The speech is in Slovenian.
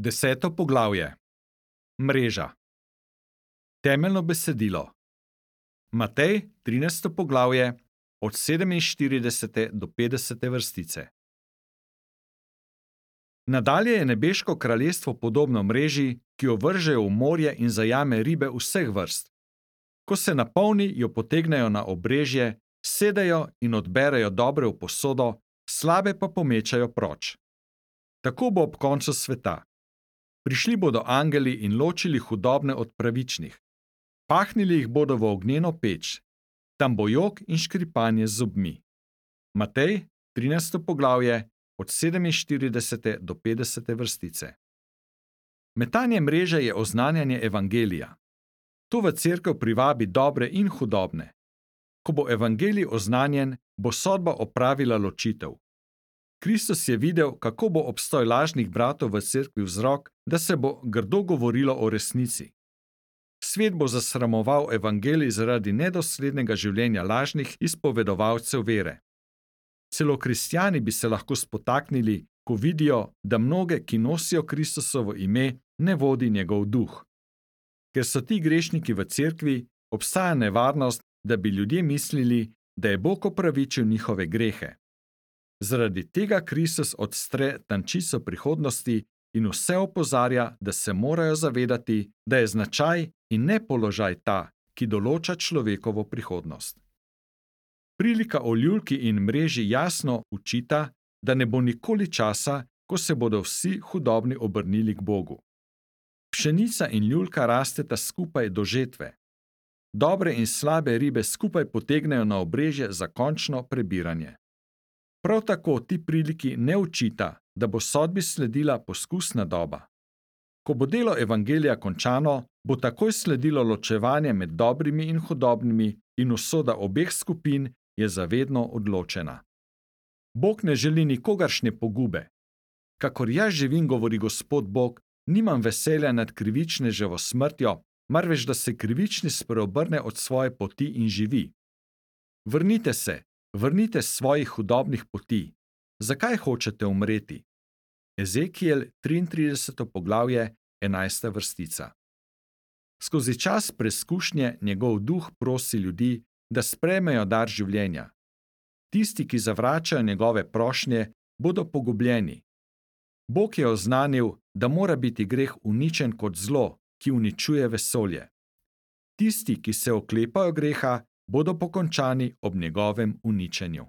10. poglavje. Mreža. Temeljno besedilo. Matej, 13. poglavje, od 47. do 50. vrstice. Nadalje je nebeško kraljestvo podobno mreži, ki jo vržejo v morje in zajame ribe vseh vrst. Ko se napolni, jo potegnejo na obrežje, sedejo in odberejo dobre v posodo, slabe pa pomečajo proč. Tako bo ob koncu sveta. Prišli bodo angeli in ločili hudobne od pravičnih. Pahnili jih bodo v ognjeno peč. Tam bo jok in škripanje z zobmi. Matej, 13. poglavje, od 47. do 50. vrstice. Metanje mreže je oznanjanje evangelija. To v cerkev privabi dobre in hudobne. Ko bo evangelij oznanjen, bo sodba opravila ločitev. Kristus je videl, kako bo obstoj lažnih bratov v cerkvi vzrok, da se bo grdo govorilo o resnici. Svet bo zasramoval evangelij zaradi nedoslednega življenja lažnih izpovedovalcev vere. Celo kristjani bi se lahko spotaknili, ko vidijo, da mnoge, ki nosijo Kristusovo ime, ne vodi njegov duh. Ker so ti grešniki v cerkvi, obstaja nevarnost, da bi ljudje mislili, da je Bog opravičil njihove grehe. Zaradi tega Kristus odstre tančico prihodnosti in vse opozarja, da se morajo zavedati, da je značaj in ne položaj ta, ki določa človekovo prihodnost. Prilika o ljulki in mreži jasno učita, da ne bo nikoli časa, ko se bodo vsi hudobni obrnili k Bogu. Pšenica in ljulka rasteta skupaj do žetve. Dobre in slabe ribe skupaj potegnejo na obrežje za končno prebiranje. Prav tako ti priliki ne učita, da bo sodbi sledila poskusna doba. Ko bo delo evangelija končano, bo takoj sledilo ločevanje med dobrimi in hudobnimi in usoda obeh skupin je zavedno odločena. Bog ne želi nikogaršnje pogube. Kakor jaz živim, govori Gospod Bog, nimam veselja nad krivičneževo smrtjo, marveč da se krivični spreobrne od svoje poti in živi. Vrnite s svojih hudobnih poti. Zakaj hočete umreti? Ezekiel, 33. poglavje, 11. vrstica. Skozi čas preskušnje njegov duh prosi ljudi, da sprejmejo dar življenja. Tisti, ki zavračajo njegove prošnje, bodo pogubljeni. Bog je oznanil, da mora biti greh uničen kot zlo, ki uničuje vesolje. Tisti, ki se oklepajo greha, bodo pokončani ob njegovem uničenju.